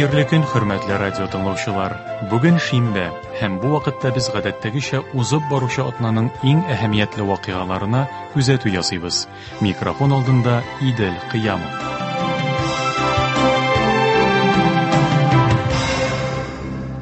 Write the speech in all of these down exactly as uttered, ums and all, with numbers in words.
Хәерле көн, хөрмәтле радио тыңлаучылар. Бүген шимбә, һәм бу вакытта без гадәттәгечә узып баручы атнаның иң әһәмиятле вакыйгаларына күзәтү ясыйбыз. Микрофон алдында Идел Кыямов.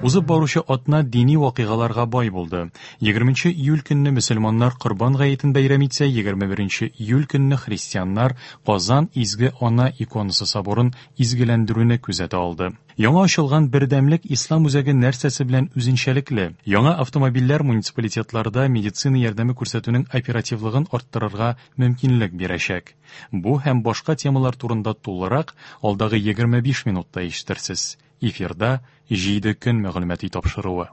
Узып баручы атна дини вакыйгаларга бай булды. Егерменче июль көнне мөселманнар Корбан гаетен бәйрәм итсә, егерме беренче июль көнне христианнар Казан Изге Ана иконасы соборын изгеләндерүне күзәтә алды. Яңа ачылган Бердәмлек Ислам үзәге нәрсәсе белән үзенчәлекле? Яңа автомобильләр муниципалитетларда медицина ярдәме күрсәтүнең оперативлыгын арттырырга мөмкинлек бирәчәк. Бу һәм башка темалар турында тулырак алдагы егерме биш минутта ишетерсез. Эфирда җиде көн мәгълүмати тапшыруы.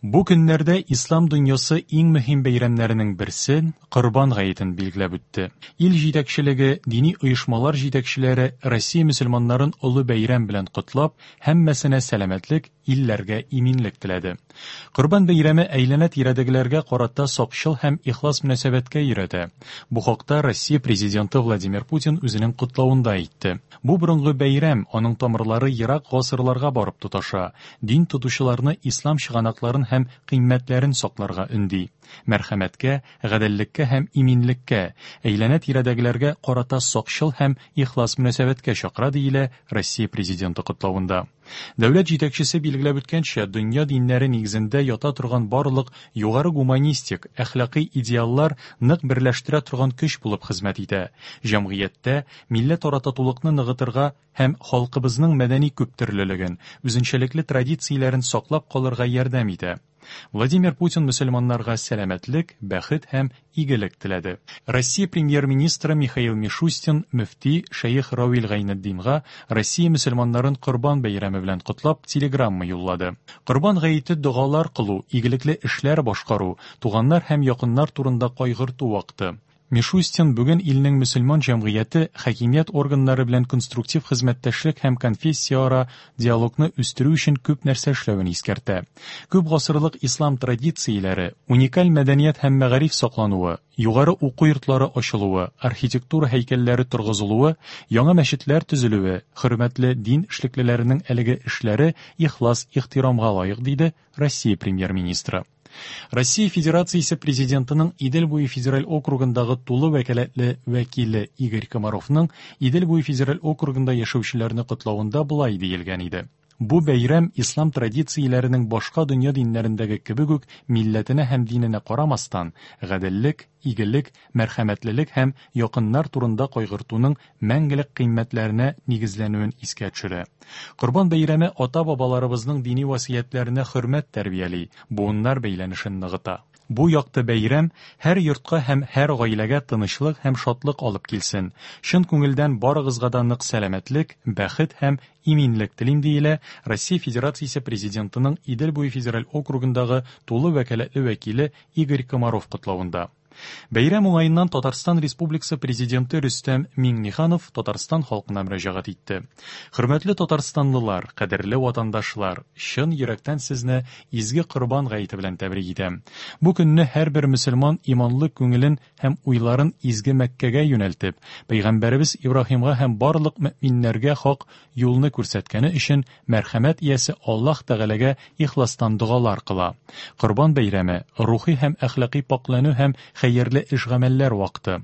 Бу көннәрдә ислам дөньясы иң мөһим бәйрәмнәренең берсе Корбан гаетен билгеләп үтте. Ил җитәкчелеге, дини оешмалар җитәкчеләре Россия мөселманнарын олы бәйрәм белән котлап, һәммәсенә сәламәтлек, илләргә иминлек теләде. Корбан бәйрәме әйләнә-тирәдәгеләргә карата сакчыл һәм ихлас мөнәсәбәткә өйрәтә. Бу хакта Россия президенты Владимир Путин үзенең котлавында әйтте. Бу борынгы бәйрәм, аның тамырлары ерак гасырларга барып тоташа. Дин тотучыларны ислам чыганакларын һәм кыйммәтләрен сакларга өнди. Мәрхәмәткә, гаделлеккә һәм иминлеккә, әйләнә-тирәдәгеләргә карата сакчыл һәм ихлас мөнәсәбәткә чакыра, диелә Россия президенты котлавында. Дәүләт җитәкчесе билгеләп үткәнчә, дөнья диннәре нигезендә ята торган барлык югары гуманистик, әхлакый идеаллар нык берләштерә торган көч булып хезмәт итә. Җәмгыятьтә милләтара татулыкны ныгытырга һәм халкыбызның мәдәни күптөрлелеген, үзенчәлекле традицияләрен саклап калырга ярдәм итә. Владимир Путин мөселманнарга сәламәтлек, бәхет һәм игелек теләде. Россия премьер-министры Михаил Мишустин мөфти Шәех Равил Гайнетдинга Россия мөселманнарын Корбан бәйрәме белән котлап телеграмма юллады. Корбан гаете догалар кылу, игелекле эшләр башкару, туганнар һәм якыннар турында кайгырту вакыты. Мишустин бүген илнең мөселман җәмгыяте хакимият органнары белән конструктив хезмәттәшлек һәм конфессияара диалогны үстерү өчен күп нәрсә эшләвен искәртә. Күп гасырлык ислам традицияләре, уникаль мәдәният һәм мәгариф саклануы, югары уку йортлары ачылуы, архитектура һәйкәлләре торгызылуы, яңа мәчетләр төзелүе, хөрмәтле дин эшлеклеләренең әлеге эшләре ихлас ихтирамга лаек, диде Россия премьер-министры. Россия Федерациясе президентының Идел буе федераль округындагы тулы вәкаләтле вәкиле Игорь Комаровның Идел буе федераль округында яшәүчеләрне котлавында болай диелгән иде. Бу бәйрәм ислам традицияләренең башка дөнья диннәрендәге кебек үк милләтенә һәм диненә карамастан, гаделлек, игелек, мәрхәмәтлелек һәм якыннар турында кайгыртуның мәңгелек кыйммәтләренә нигезләнүен искә төшерә. Корбан бәйрәме ата-бабаларыбызның дини васыятьләренә хөрмәт тәрбияли, буыннар бәйләнешен ныгыта. Бу якты бәйрәм һәр йортка һәм һәр гаиләгә тынычлык һәм шатлык алып килсен. Чын күңелдән барыгызга да нык сәламәтлек, бәхет һәм иминлек телим, диелә Россия Федерациясе президентының Идел буе федераль округындагы тулы вәкаләтле вәкиле Игорь Комаров котлавында. Бәйрәм уңаеннан Татарстан Республикасы президенты Рөстәм Миңнеханов Татарстан халкына мөрәҗәгать итте. Хөрмәтле татарстанлылар, кадерле ватандашлар, чын йөрәктән сезне изге Корбан гаете белән тәбрик итәм. Бу көнне һәрбер мөселман иманлы күңелен һәм уйларын изге Мәккәгә юнәлтеп, Пәйгамбәребез Ибраһимга һәм барлык мөминнәргә хак юлны күрсәткәне өчен мәрхәмәт иясе Аллаһ Тәгаләгә ихластан догалар кыла. Корбан бәйрәме рухи һәм әхлакый паклану һәм хәерле эш-гамәлләр вакыты.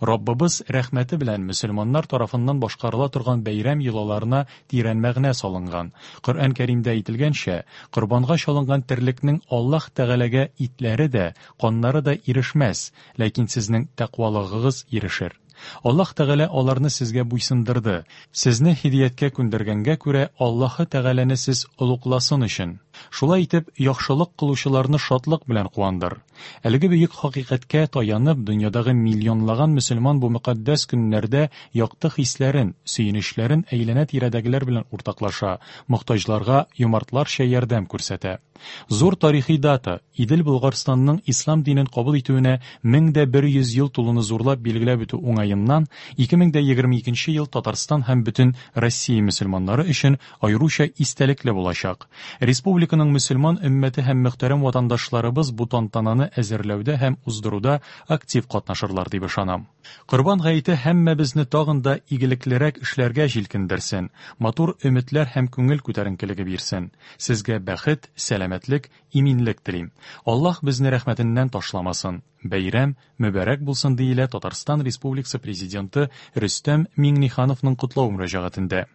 Раббыбыз рәхмәте белән мөселманнар тарафыннан башкарыла торган бәйрәм йолаларына тирән мәгънә салынган. Коръән Кәримдә әйтелгәнчә, корбанга чалынган терлекнең Аллаһ Тәгаләгә итләре дә, каннары да ирешмәс, ләкин сезнең тәкъвалыгыгыз ирешер. Аллаһ Тәгалә аларны сезгә буйсындырды. Сезне һидаяткә күндергәнгә күрә Аллаһ Тәгаләне сез олугласын өчен. Шулай итеп, яхшылык кылучыларны шатлык белән куандыр. Әлеге бөек хакыйкатькә таянып, дөньядагы миллионлаган мөселман бу мөкатдәс көннәрдә якты хисләрен, сөенечләрен әйләнә-тирәдәгеләр белән уртаклаша, мохтаҗларга юмартларча ярдәм күрсәтә. Зур тарихи дата Идел Болгарстанның ислам динен кабул итүенә мең дә бер йөз ел тулуны зурлап билгеләп үтү уңаеннан ике мең дә егерме икенче ел Татарстан һәм бөтен Россия мөселманнары өчен аеруча истәлекле булачак. Республика Республиканың мөселман өммәте һәм мөхтәрәм ватандашларыбыз бу тантананы әзерләүдә һәм уздыруда актив катнашырлар дип ышанам. Корбан гаете һәммәбезне тагын да игелеклерәк эшләргә җилкендерсен, матур өметләр һәм күңел күтәренкелеге бирсен. Сезгә бәхет, сәламәтлек, иминлек телим. Аллаһ безне рәхмәтеннән ташламасын. Бәйрәм мөбарәк булсын, диелә Татарстан Республикасы Президенты Рөстәм Миңнехановның котлау мөрәҗәгатендә.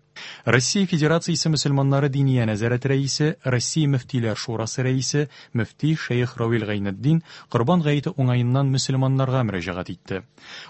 Россия Федерациясе мөселманнары Диния нәзарәте рәисе, Россия мөфтиләр шурасы рәисе, мөфти шәех Равил Гайнетдин Корбан гаете уңаеннан мөселманнарга мөрәҗәгать итте.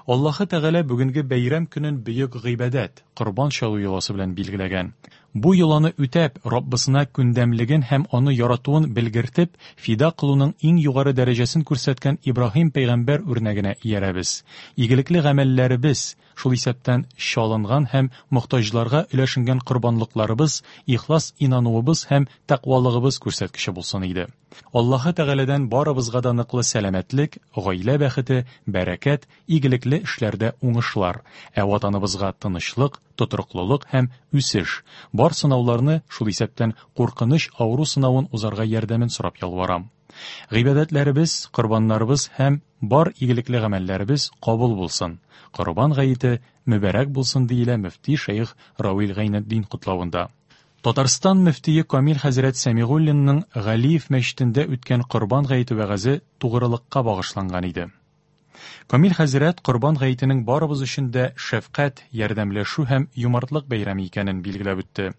Аллаһы Тәгалә бүгенге бәйрәм көнен бөек гыйбадәт, корбан чалу йоласы белән билгеләгән. Бу йоланы үтәп, Раббысына күндәмлеген һәм аны яратуын белгертеп, фида кылуның иң югары дәрәҗәсен күрсәткән Ибраһим пәйгамбәр үрнәгенә иярәбез. Игелекле гамәлләребез, шул исәптән чалынган һәм мохтаҗларга өләшенгән корбанлыкларыбыз, ихлас инануыбыз һәм тәкъвалыгыбыз күрсәткече булсын иде. Аллаһы Тәгаләдән барыбызга да ныклы сәламәтлек, гаилә бәхете, бәрәкәт, игелекле эшләрдә уңышлар, ә ватаныбызга тынычлык, тотрыклылык һәм үсеш, бар сынауларны, шул исәптән куркыныч авыру сынавын узарга ярдәмен сорап ялварам. Гыйбадәтләребез, корбаннарыбыз һәм бар игелекле гамәлләребез кабул булсын. Корбан гаете мөбарәк булсын, диелә мөфти шәех Равил Гайнетдин котлавында. Татарстан мөфтие Камил хәзрәт Сәмигуллинның Галиев мәчетендә үткән Корбан гаете вәгазе тугрылыкка багышланган иде. Камил хәзрәт Корбан гаетенең барыбыз өчен дә шәфкать, ярдәмләшү һәм юмартлык бәйрәме икәнен билгеләп үтте.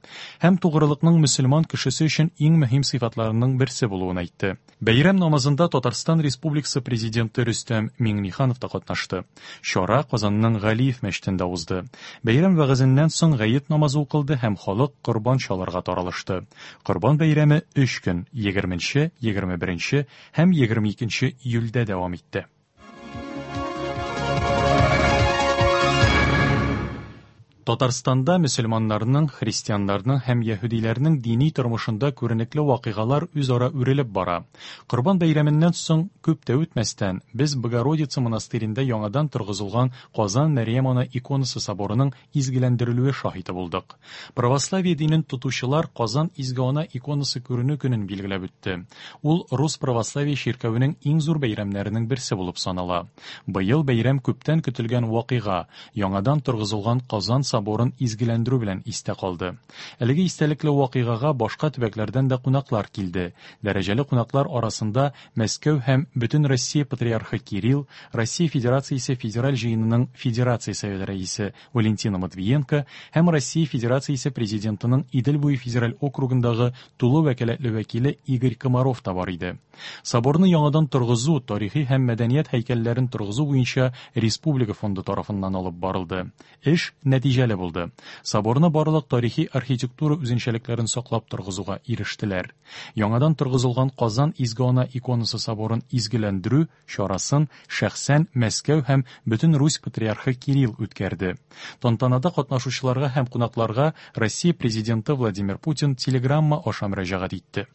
Һәм тугрылыкның мөселман кешесе өчен иң мөһим сыйфатларының берсе булуын әйтте. Бәйрәм намазында Татарстан Республикасы Президенты Рөстәм Миңнеханов та катнашты. Чара Казанның Галиев мәчетендә узды. Бәйрәм вәгазеннән соң гает намазы укылды һәм халык корбан чалырга таралышты. Корбан бәйрәме өч көн, егерменче, егерме беренче һәм егерме икенче июльдә дәвам итте. Татарстанда мөселманнарның, христианнарның һәм яһүдиләрнең дини тормышында күренекле вакыйгалар үзара үрелеп бара. Корбан бәйрәменнән соң күп тә үтмәстән, без Богородица монастырендә яңадан торгызылган Казан Мәрьям Ана иконасы соборының изгеләндерелүе шаһиты булдык. Православие динен тотучылар Казан Изге Ана иконасы күренү көнен билгеләп үтте. Ул Рус православие чиркәвенең иң зур бәйрәмнәренең берсе булып санала. Быел бәйрәм күптән көтелгән вакыйга, яңадан торгызылган Казан соборын изгеләндерү белән истә калды. Әлеге истәлекле вакыйгага башка төбәкләрдән дә кунаклар килде. Дәрәҗәле кунаклар арасында Мәскәү һәм бөтен Россия патриархы Кирилл, Россия Федерациясе Федераль җыенының Федерация Советы рәисе Валентина Матвиенко һәм Россия Федерациясе Президентының Идел буе федераль округындагы тулы вәкаләтле вәкиле Игорь Комаров та бар иде. Соборны яңадан торгызу, тарихи һәм мәдәният һәйкәлләрен торгызу буенча Республика фонды тарафыннан алып барылды. Эш нәтиҗәле булды. Соборны барлык тарихи архитектура үзенчәлекләрен саклап торгызуга ирештеләр. Яңадан торгызылган Казан Изге Ана иконасы соборын изгеләндерү чарасын шәхсән Мәскәү һәм бөтен Русь патриархы Кирилл үткәрде. Тантанада катнашучыларга һәм кунакларга Россия президенты Владимир Путин телеграмма аша мөрәҗәгать итте.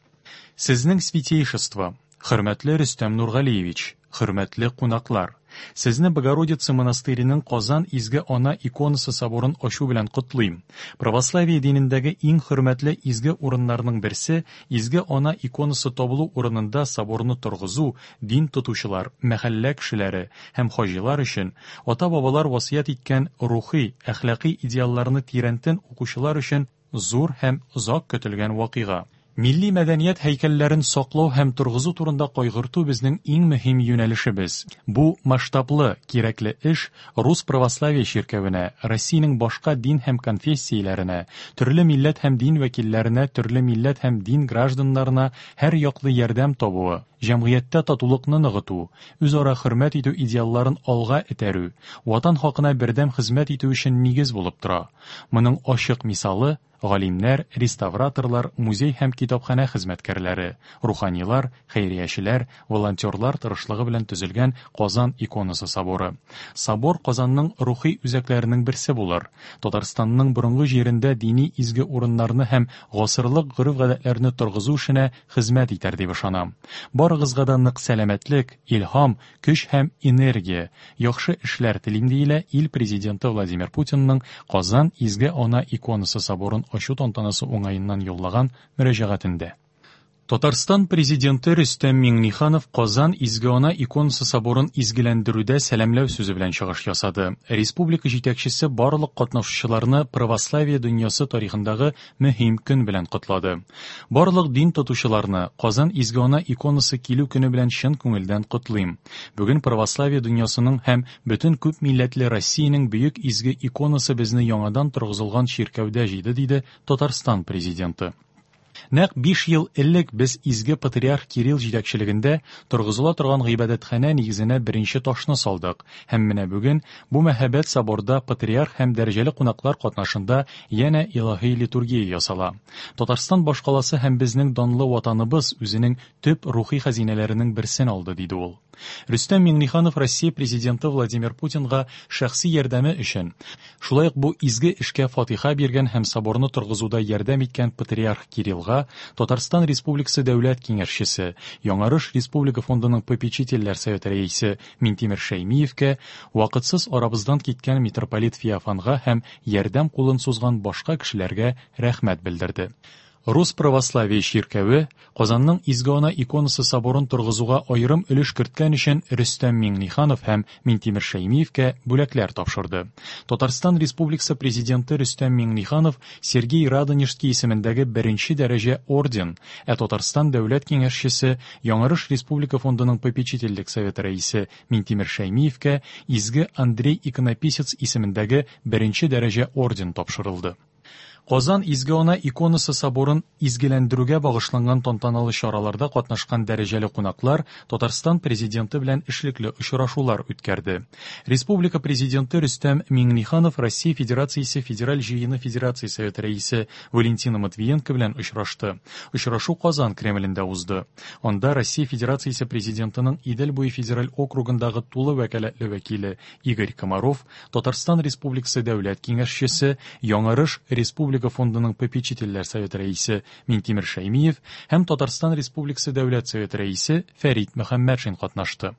Сезнең святейшество, хөрмәтле Рөстәм Нургалиевич, хөрмәтле кунаклар, сезне Богородица монастыреның Казан Изге Ана иконасы соборын ачу белән котлыйм. Православие динендәге иң хөрмәтле изге урыннарның берсе Изге Ана иконасы табылу урынында соборны торгызу дин тотучылар, мәхәллә кешеләре һәм хаҗилар өчен ата-бабалар васыять иткән рухи, әхлаки идеалларны тирәнтен укучылар өчен зур һәм озак көтелгән вакыйга. Милли мәдәният һәйкәлләрен саклау һәм торгызу турында кайгырту безнең иң мөһим юнәлешебез. Бу масштаблы, кирәкле эш Рус православие чиркәвенә, Россиянең башка дин һәм конфессияләренә, төрле милләт һәм дин вәкилләренә, төрле милләт һәм дин гражданнарына һәр яклы ярдәм табуы, җәмгыятьтә татулыкны ныгыту, үзара хөрмәт итү идеалларын алга этәрү, ватан хакына бердәм хезмәт итү өчен нигез булып тора. Моның ачык мисалы галимнәр, реставраторлар, музей һәм китапханә хезмәткәрләре, руханилар, хәйриячеләр, волонтерлар тырышлыгы белән төзелгән Казан иконасы соборы. Собор Казанның рухи үзәкләренең берсе булыр. Татарстанның борынгы җирендә дини изге урыннарны һәм гасырлык гореф-гадәтләрне торгызу эшенә хезмәт итәр дип ышанам. Барыгызга да нык сәламәтлек, илһам, көч һәм энергия, яхшы эшләр телим, диелә ил президенты Владимир Путинның Казан Изге Ана иконасы соборын ачу тантанасы уңаеннан юллаган мөрәҗәгатендә. Татарстан Президенты Рөстәм Миңнеханов Казан Изге Ана иконасы соборын изгеләндерүдә сәламләү сүзе белән чыгыш ясады. Республика җитәкчесе барлык катнашучыларны православие дөньясы тарихындагы мөһим көн белән котлады. Барлык дин тотучыларны Казан Изге Ана иконасы килү көне белән чын күңелдән котлыйм. Бүген православие дөньясының һәм бөтен күп милләтле Россиянең бөек изге иконасы безне яңадан торгызылган чиркәүдә җыйды, диде Татарстан Президенты. Нәкъ биш ел элек без изге патриарх Кирилл җитәкчелегендә торгызыла торган гыйбадәтханә нигезенә беренче ташны салдык. Һәм менә бүген бу мәһабәт соборда патриарх һәм дәрәҗәле кунаклар катнашында янә илаһи литургия ясала. Татарстан башкаласы һәм безнең данлы ватаныбыз үзенең төп рухи хәзинәләренең берсен алды, диде ул. Рөстәм Миңнеханов Россия президенты Владимир Путинга шәхси ярдәме өчен, шулай ук бу изге эшкә фатиха биргән һәм соборны торгызуда ярдәм иткән патриарх Кириллга Татарстан Республикасы Дәүләт Киңәшчесе, Яңарыш Республика фондының попечительләр советы рәисе Минтимер Шәймиевкә, вакытсыз арабыздан киткән митрополит Феофанга һәм ярдәм кулын сузган башка кешеләргә рәхмәт белдерде. Рус православие чиркәве Казанның Изге Ана иконасы соборын торгызуга аерым өлеш керткән өчен Рөстәм Миңнеханов һәм Минтимер Шәймиевкә бүләкләр тапшырды. Татарстан Республикасы Президенты Рөстәм Миңнеханов Сергей Радонежский исемендәге беренче дәрәҗә орден, ә Татарстан Дәүләт Киңәшчесе Яңарыш Республика фондының попечительлек советы рәисе Минтимер Шәймиевкә Изге Андрей Иконописец исемендәге беренче дәрәҗә орден тапшырылды. Казан Изге Ана иконасы соборын изгеләндерүгә багышланган тантаналы чараларда катнашкан дәрәҗәле кунаклар Татарстан Президенты белән эшлекле очрашулар үткәрде. Республика Президенты Рөстәм Миңнеханов Россия Федерациясе Федераль Җыены Федерация Советы рәисе Валентина Матвиенко белән очрашты. Очрашу Казан Кремлендә узды. Анда Россия Федерациясе Президентының Идел буе федераль округындагы тулы вәкаләтле вәкиле Игорь Комаров, Татарстан Республикасы Дәүләт Киңәшчесе, Яңарыш Республика фондының попечительләр советы рәисе Минтимер Шәймиев һәм Татарстан Республикасы Дәүләт Советы рәисе Фәрит Мөхәммәтшин катнашты.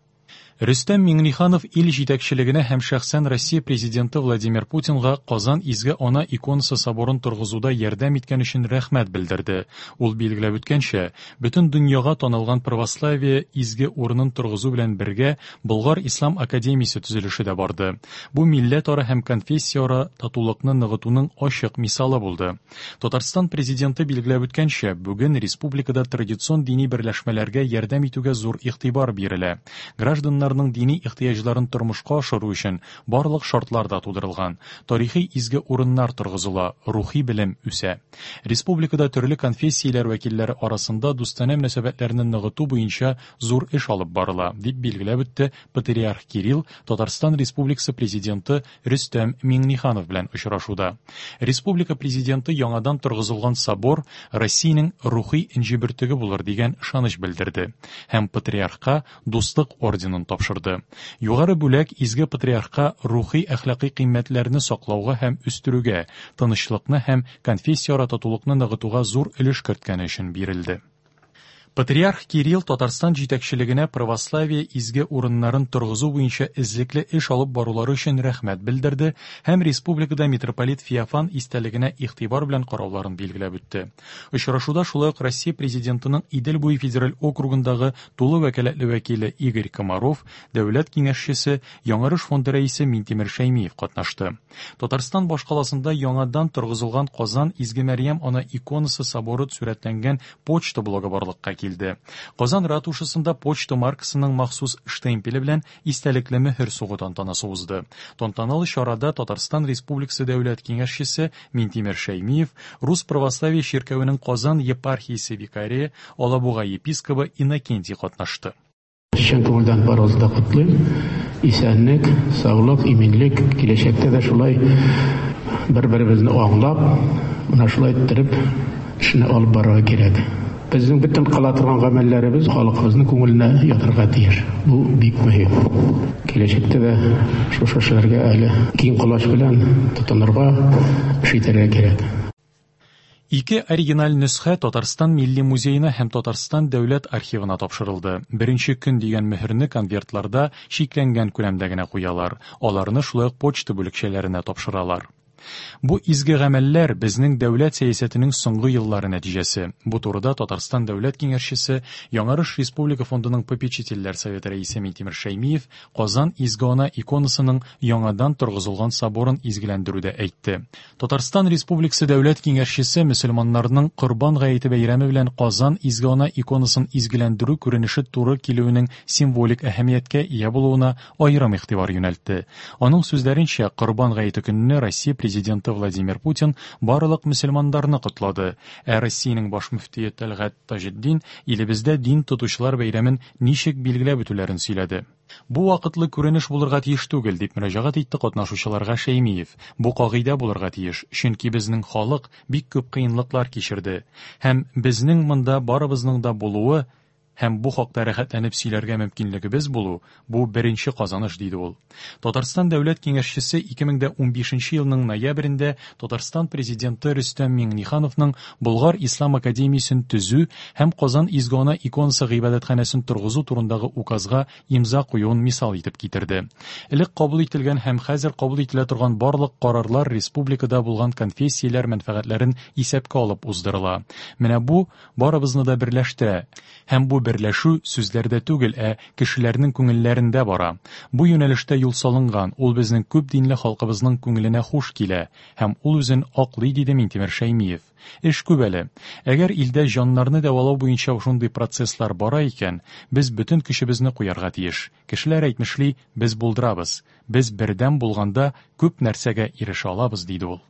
Рөстәм Миңнеханов ил җитәкчелегенә һәм шәхсән Россия Президенты Владимир Путинга Казан Изге Ана иконасы соборын торгызуда ярдәм иткән өчен рәхмәт белдерде. Ул билгеләп үткәнчә, бөтен дөньяга танылган православие изге урынын торгызу белән бергә Болгар Ислам академиясе төзелеше дә барды. Бу милләтара һәм конфессияара татулыкны ныгытуның ачык мисалы булды. Татарстан Президенты билгеләп үткәнчә, бүген республикада традицион дини берләшмәләргә ярдәм итүгә зур игътибар бирелә. Гражданнар дини ихтыяҗларын тормышка ашыру өчен барлык шартлар да тудырылган. Тарихи изге урыннар торгызыла, рухи белем үсә. Республикада төрле конфессияләр вәкилләре арасында дустанә мөнәсәбәтләрне ныгыту буенча зур эш алып барыла, дип билгеләп үтте патриарх Кирилл Татарстан Республикасы Президенты Рөстәм Миңнеханов белән очрашуда. Республика Президенты яңадан торгызылган собор Россиянең рухи энҗе бөртеге булыр дигән ышаныч белдерде һәм патриархка Дуслык орденын тапшырды. Югары бүләк изге патриархка рухи әхлакый кыйммәтләрне саклауга һәм үстерүгә, тынычлыкны һәм конфессияара татулыкны ныгытуга зур өлеш керткәне өчен бирелде. Патриарх Кирилл Татарстан җитәкчелегенә православие изге урыннарын торгызу буенча эзлекле эш алып барулары өчен рәхмәт белдерде һәм республикада митрополит Феофан истәлегенә игътибар белән карауларын билгеләп үтте. Очрашуда шулай ук Россия Президентының Идел буе федераль округындагы тулы вәкаләтле вәкиле Игорь Комаров, Дәүләт Киңәшчесе, Яңарыш фонды рәисе Минтимер Шәймиев катнашты. Татарстан башкаласында яңадан торгызылган Казан Изге Мәрьям Ана иконасы соборы сурәтләнгән почта блогы барлыкка килде. Казан ратушасында почта маркасының махсус штемпеле белән истәлекле мөһер сугу тантанасы узды. Тантаналы чарада Татарстан Республикасы Дәүләт Киңәшчесе Минтимер Шәймиев, Рус православие чиркәвенең Казан епархиясе викарие Алабуга епискобы Иннокентий катнашты. Чын күңелдән барыгызны да котлыйм. Исәнлек, саулык, иминлек, киләчәктә дә шулай бер-беребезне аңлап, менә шулай иттереп эшне алып барырга кирәк. Безнең бөтен кыла торган гамәлләребез халкыбызның күңеленә ятырга тиеш. Бу бик мөһим. Киләчәктә дә шушы эшләргә әле киң колач белән тотынырга, эш итәргә кирәк. Ике оригиналь нөсхә Татарстан Милли музеена һәм Татарстан Дәүләт архивына тапшырылды. Беренче көн дигән мөһерне конвертларда чикләнгән күләмдә генә куялар. Аларны шулай ук почта бүлекчәләренә тапшыралар. Бу изге гамәлләр безнең дәүләт сәясәтенең соңгы еллары нәтиҗәсе. Бу турыда Татарстан дәүләт киңәшчесе, Яңарыш Республика фондының попечительләр советы рәисе Минтимер Шәймиев Казан Изге Ана иконасының яңадан торгызылган соборын изгеләндерүдә әйтте. Татарстан Республикасы дәүләт киңәшчесе мөселманнарның Корбан гаете бәйрәме белән Казан Изге Ана иконасын изгеләндерү күренеше туры килүенең символик әһәмияткә ия булуына аерым игътибар юнәлтте. Аның сүзләренчә, Корбан гаете көнне Россия президенты Владимир Путин барлык мөселманнарны котлады. Ә Россиянең баш мөфтие Тәлгать Таҗетдин илебездә дин тотучылар бәйрәмен ничек билгеләп үтүләрен сөйләде. Бу вакытлы күренеш булырга тиеш түгел, дип мөрәҗәгать итте катнашучыларга Шәймиев. Бу кагыйдә булырга тиеш, чөнки безнең халык бик күп кыенлыклар кичерде. Һәм безнең монда барыбызның да булуы һәм бу хакта рәхәтләнеп сөйләргә мөмкинлегебез булу, бу беренче казаныш, диде ул. Татарстан дәүләт киңәшчесе ике мең унбишенче елның ноябрендә Татарстан президенты Рөстәм Миңнехановның Болгар Ислам академиясен төзү һәм Казан Изге Ана иконасы гыйбадәтханәсен торгызу турындагы указга имза куюын мисал итеп китерде. Элек кабул ителгән һәм хәзер кабул ителә торган барлык карарлар республикада булган конфессияләр мәнфәгатьләрен исәпкә алып уздырыла. Менә бу барыбызны да берләштерә. Һәм бу берләшү сүзләрдә түгел, ә кешеләрнең күңелләрендә бара. Бу юнәлештә юл салынган, ул безнең күп динле халкыбызның күңеленә хуш килә һәм ул үзен аклый, диде Минтимер Шәймиев. Эш күп әле. Әгәр илдә җаннарны дәвалау буенча шундый процесслар бара икән, без бөтен көчебезне куярга тиеш. Кешеләр әйтмешли, без булдырабыз. Без бердәм булганда күп нәрсәгә ирешә алабыз, диде ул.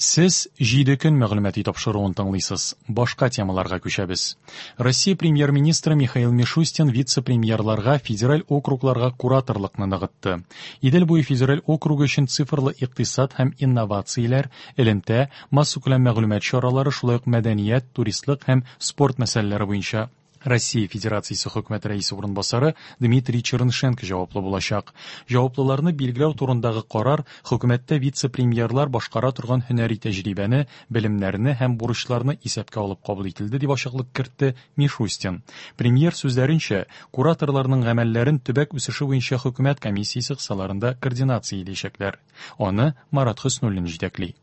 Сез җиде көн мәгълүмати тапшыруын тыңлыйсыз. Башка темаларга күчәбез. Россия премьер-министры Михаил Мишустин вице-премьерларга федераль округларга кураторлыкны ныгытты. Идел буе федераль округы өчен цифрлы икътисад һәм инновацияләр, элемтә, массакүләм мәгълүмат чаралары, шулай ук мәдәният, туристлык һәм спорт мәсьәләләре буенча Россия Федерациясе хөкүмәт рәисе урынбасары Дмитрий Чернышенко җаваплы булачак. Җаваплыларны билгеләү турындагы карар хөкүмәттә вице-премьерлар башкара торган һөнәри тәҗрибәне, белемнәрне һәм бурычларны исәпкә алып кабул ителде, дип ачыклык кертте Мишустин. Премьер сүзләренчә, кураторларның гамәлләрен төбәк үсеше буенча хөкүмәт комиссиясе кысаларында координацияләячәкләр. Аны Марат Хөснуллин җитәкли.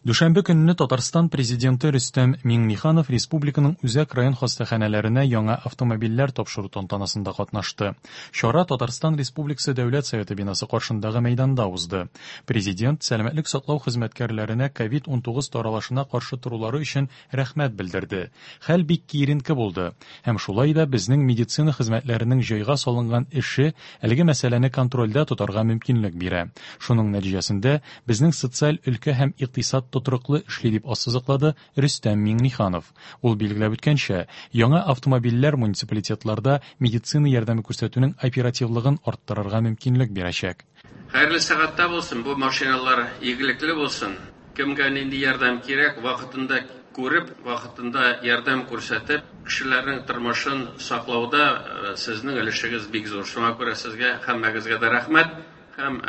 Дүшәмбе көнне Татарстан президенты Рөстәм Миңнеханов республиканың үзәк район хастаханәләренә яңа автомобильләр тапшыру тантанасында катнашты. Чара Татарстан Республикасы Дәүләт Советы бинасы каршындагы мәйданда узды. Президент сәламәтлек саклау хезмәткәрләренә ковид унтугыз таралышына каршы торулары өчен рәхмәт белдерде. Хәл бик киеренке булды. Һәм шулай да безнең медицина хезмәтләренең җайга салынган эше әлеге мәсьәләне контрольдә тотарга мөмкинлек бирә. Шуның нәтиҗәсендә безнең социаль өлкә һәм икътисад тотрыклы эшли, дип ассызыклады Рөстәм Миңнеханов. Ул билгеләп үткәнчә, яңа автомобильләр муниципалитетларда медицина ярдәме күрсәтүнең оперативлыгын арттырырга мөмкинлек бирәчәк. Хәерле сәгатьтә булсын, бу машиналар игелекле булсын. Кемгә нинди ярдәм кирәк, вакытында күреп, вакытында ярдәм күрсәтеп, кешеләрнең тормышын саклауда сезнең өлешегез бик зур. Шуңа күрә сезгә һәммәгезгә дә рәхмәт һәм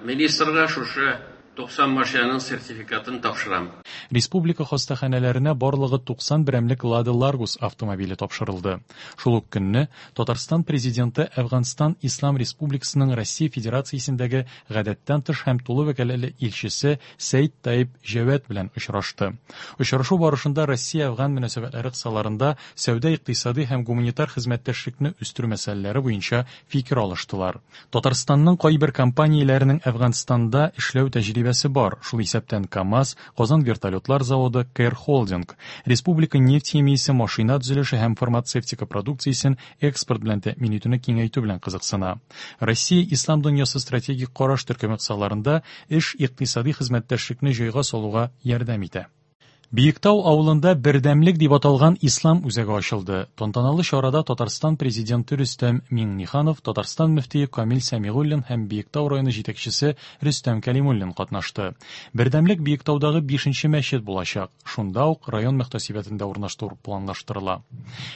министрга шушы туксан машинаның сертификатын тапшырам. Республика хастаханәләренә барлыгы туксан берәмлек Лада Ларгус автомобиле тапшырылды. Шул ук көнне Татарстан президенты Әфганстан Ислам Республикасының Россия Федерациясендәге гадәттән тыш һәм тулы вәкаләтле илчесе Сәйд Таиб Җәвәт белән очрашты. Очрашу барышында Россия-Әфган мөнәсәбәтләре кысаларында сәүдә-икътисади һәм гуманитар хезмәттәшлекне үстерү мәсьәләләре буенча фикер алыштылар. Татарстанның кайбер компанияләренең Әфганстанда эшләү тәҗрибәсе бар, шул исәптән КАМАЗ, Казан вертолетлар заводы, Кэр Холдинг, Республика нефть химиясе, машина төзелеше һәм фармацевтика продукциясен экспорт белән тәэмин итүне киңәйтү белән кызыксына. Россия Ислам дөньясы стратегик караш төркеме кысаларында эш икътисади хезмәттәшлекне җайга салуга ярдәм итә. Биектау авылында Бердәмлек дип аталган Ислам үзәге ачылды. Тантаналы чарада Татарстан президенты Рөстәм Миңнеханов, Татарстан мөфтие Камил Сәмигуллин һәм Биектау районы җитәкчесе Рөстәм Кәлимуллин катнашты. Бердәмлек Биектаудагы бишенче мәчет булачак. Шунда ук район мөхтәсибәтендә урнаштыру планлаштырыла.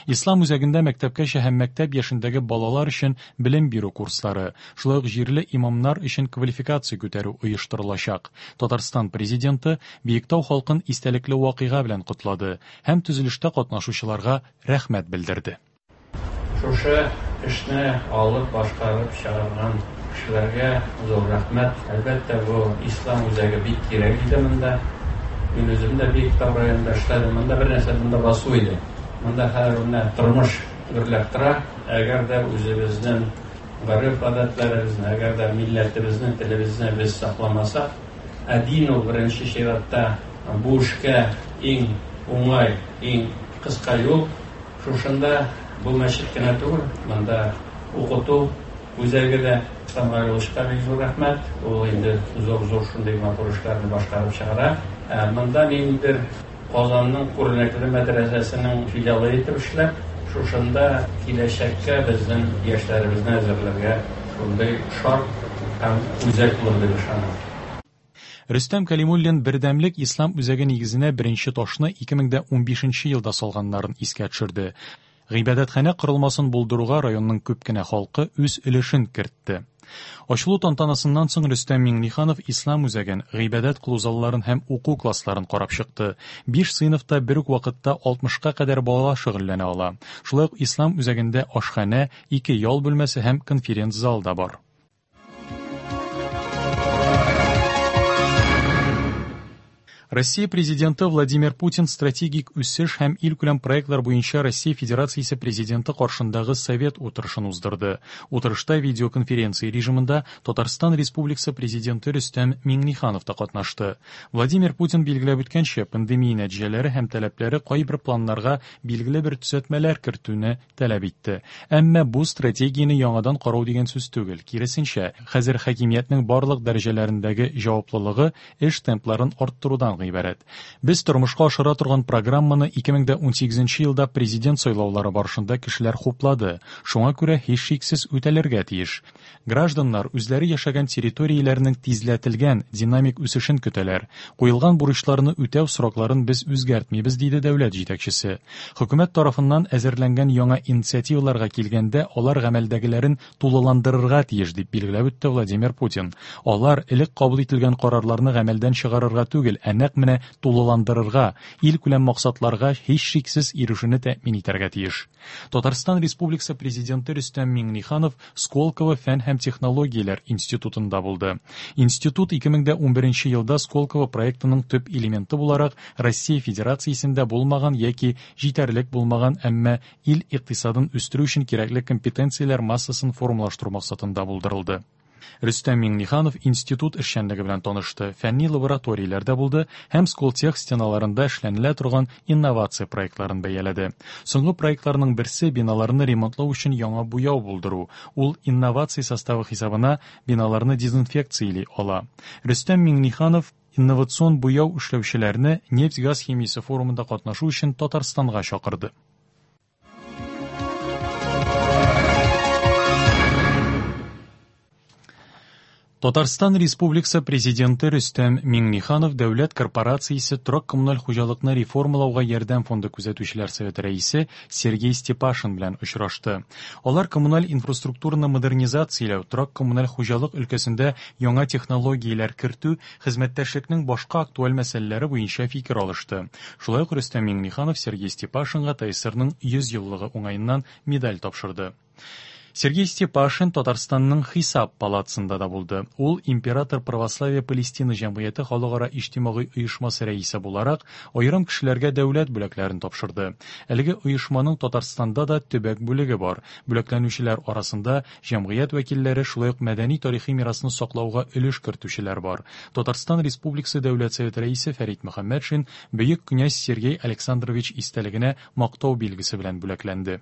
Ислам үзәгендә мәктәпкәчә һәм мәктәп яшендәге балалар өчен белем бирү курслары, шулай ук җирле имамнар өчен квалификация күтәрү оештырылачак. Татарстан президенты Биектау халкын истәлекле вакыйга белән котлады һәм төзелештә катнашучыларга рәхмәт белдерде. Шушы эшне алып башкарып чыгарган кешеләргә зур рәхмәт. Әлбәттә, бу ислам үзәге бик кирәк иде монда. Мин үзем дә Биектау районында эшләдем. Монда бер нәрсә монда басу иде. Монда хәзер менә тормыш гөрләп тора. Әгәр дә үзебезнең гореф-гадәтләребезне, әгәр дә милләтебезне, телебезне без сакламасак, ә дин ул беренче чиратта бу эшкә иң уңай, иң кыска юл. Шушында бу мәчет кенә түгел, монда укыту үзәге дә. Ислам Галиевичка бик зур рәхмәт. Ул инде зур-зур шундый матур эшләрне башкарып чыгара. Монда ниндидер Казанның күренекле мәдрәсәсенең филиалы итеп эшләп, шушында киләчәккә безнең яшьләребезне әзерләргә шундый шарт һәм үзәк булыр дип ышанам. Рөстәм Кәлимуллин Бердәмлек ислам үзәге нигезенә беренче ташны ике мең дә унбишенче елда салганнарын искә төшерде. Гыйбадәтханә корылмасын булдыруга районның күп кенә халкы үз өлешен кертте. Ачылу тантанасыннан соң Рөстәм Миңнеханов ислам үзәген, гыйбадәт кылу залларын һәм уку классларын карап чыкты. Биш сыйныфта бер үк вакытта алтмышка кадәр бала шөгыльләнә ала. Шулай ук ислам үзәгендә ашханә, ике ял бүлмәсе һәм конференц-зал да бар. Россия президенты Владимир Путин стратегик үсеш һәм илкүләм проектлар буенча Россия Федерациясе президенты каршындагы совет утырышын уздырды. Утырышта видеоконференция режимында Татарстан Республикасы президенты Рөстәм Миңнеханов та катнашты. Владимир Путин билгеләп үткәнчә, пандемия нәтиҗәләре һәм таләпләре кайбер планнарга билгеле бер төзәтмәләр кертүне таләп итте. Әмма бу стратегияне яңадан карау дигән сүз түгел. Киресенчә, хәзер хакимиятнең барлык дәрәҗәләрендәге җаваплылыгы эш темпларын арттырудан гыйбарәт. Без тормышка ашыра торган программаны ике мең дә унсигезенче елда президент сайлаулары барышында кешеләр хуплады. Шуңа күрә һичшиксез үтәлергә тиеш. Гражданнар үзләре яшәгән территорияләрнең тизләтелгән динамик үсешен көтәләр. Куелган бурычларны үтәү срокларын без үзгәртмибез, диде дәүләт җитәкчесе. Хөкүмәт тарафыннан әзерләнгән яңа инициативаларга килгәндә, алар гамәлдәгеләрен тулыландырырга тиеш, дип билгеләп үтте Владимир Путин. Алар элек кабул ителгән карарларны гамәлдән чыгарырга түгел, ә нәкъ менә тулыландырырга, илкүләм максатларга һичшиксез ирешүне тәэмин итәргә тиеш. Татарстан Республикасы президенты Рөстәм Миңнеханов Сколково фән һәм технологияләр институтында булды. Институт ике мең дә унберенче елда Сколково проектының төп элементы буларак Россия Федерациясендә булмаган яки җитәрлек булмаган, әмма ил икътисадын үстерү өчен кирәкле компетенцияләр массасын формалаштыру максатында булдырылды. Рөстәм Миңнеханов институт эшчәнлеге белән танышты, фәнни лабораторияләрдә булды һәм Сколтех стеналарында эшләнелә торган инновация проектларын бәяләде. Соңгы проектларның берсе биналарны ремонтлау өчен яңа буяу булдыру. Ул инновация составы хисабына биналарны дезинфекцияли ала. Рөстәм Миңнеханов инновацион буяу эшләүчеләрне нефть-газ химиясе форумында катнашу өчен Татарстанга чакырды. Татарстан Республикасы президенты Рөстәм Миңнеханов дәүләт корпорациясе торак коммуналь хуҗалыкны реформалауга ярдәм фонды күзәтүчеләр советы рәисе Сергей Степашин белән очрашты. Алар коммуналь инфраструктураны модернизацияләү, торак коммуналь хуҗалык өлкәсендә яңа технологияләр кертү, хезмәттәшлекнең башка актуаль мәсьәләләре буенча фикер алышты. Шулай ук Рөстәм Миңнеханов Сергей Степашинга ТАССРның йөз еллыгы уңаеннан медаль тапшырды. Сергей Степашин Татарстанның Хисап палатасында да булды. Ул Император Православия Палестина җәмгыяте халыкара иҗтимагый оешмасы рәисе буларак аерым кешеләргә дәүләт бүләкләрен тапшырды. Әлеге оешманың Татарстанда да төбәк бүлеге бар. Бүләкләнүчеләр арасында җәмгыять вәкилләре, шулай ук мәдәни тарихи мирасны саклауга өлеш кертүчеләр бар. Татарстан Республикасы Дәүләт Советы рәисе Фәрит Мөхәммәтшин бөек князь Сергей Александрович истәлегенә мактау билгесе белән бүләкләнде.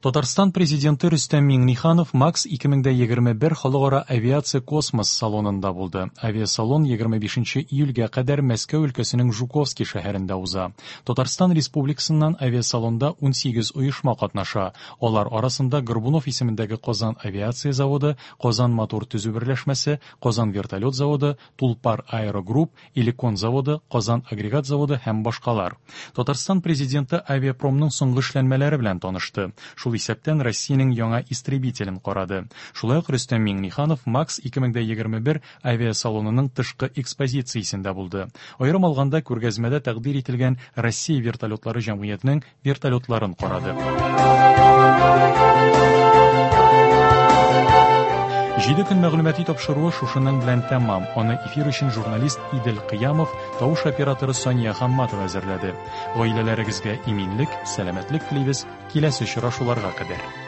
Татарстан президенты Рөстәм Миңнеханов Макс ике мең дә егерме бер халыкара авиация космос салонында булды. Авиасалон егерме бишенче июльгә кадәр Мәскәү өлкәсенең Жуковский шәһәрендә уза. Татарстан Республикасыннан авиасалонда унсигез оешма катнаша. Алар арасында Горбунов исемендәге Казан авиация заводы, Казан мотор төзү берләшмәсе, Казан вертолет заводы, Тулпар аэрогрупп, Иликон заводы, Казан агрегат заводы һәм башкалар. Татарстан президенты авиапромның соңгы эшләнмәләре белән танышты. Шул шул исәптән Россиянең яңа истребителен карады. Шулай ук Рөстәм Миңнеханов Макс ике мең егерме бер авиасалонының тышкы экспозициясендә булды. Аерым алганда, күргәзмәдә тәкъдир ителгән Россия вертолетлары җәмгыятенең вертолетларын карады. Җиде көн мәгълүмати тапшыруы шушының белән тәмам. Аны эфир өчен журналист Идел Кыямов, тавыш операторы Сания Хамматова әзерләде. Гаиләләрегезгә иминлек, сәламәтлек телибез. Киләсе очрашуларга кадәр.